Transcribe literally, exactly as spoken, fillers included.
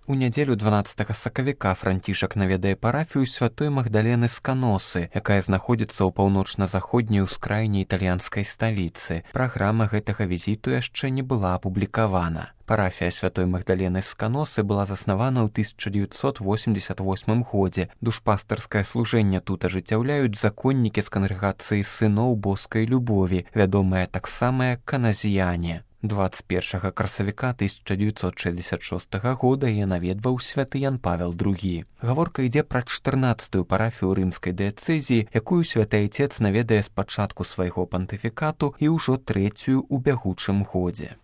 У нядзелю дванаццатага сакавіка Францішак наведае парафію святой Магдалены з Каносы, якая знаходзіцца ў паўночна-заходняй ускраіне італьянскай сталіцы. Праграма гэтага візіту яшчэ не была апублікавана. Парафія святой Магдалены з Каносы была заснавана ў тысяча дзевяцьсот восемьдесят восьмым годзе. Душпастарскае служэнне тут ажыццяўляюць законнікі з кангрэгацыі сыноў боскай любові, вядомыя таксама як каназіяне. дваццаць першага красавіка тысяча дзевяцьсот шэсцьдзесят шостага года яе наведваў святы Ян Павел другі. Гаворка ідзе пра чатырнаццатую парафію рымскай дыяцэзіі, якую святы айцец наведае з пачатку свайго пантыфікату і ўжо трэцюю ў бягучым годзе.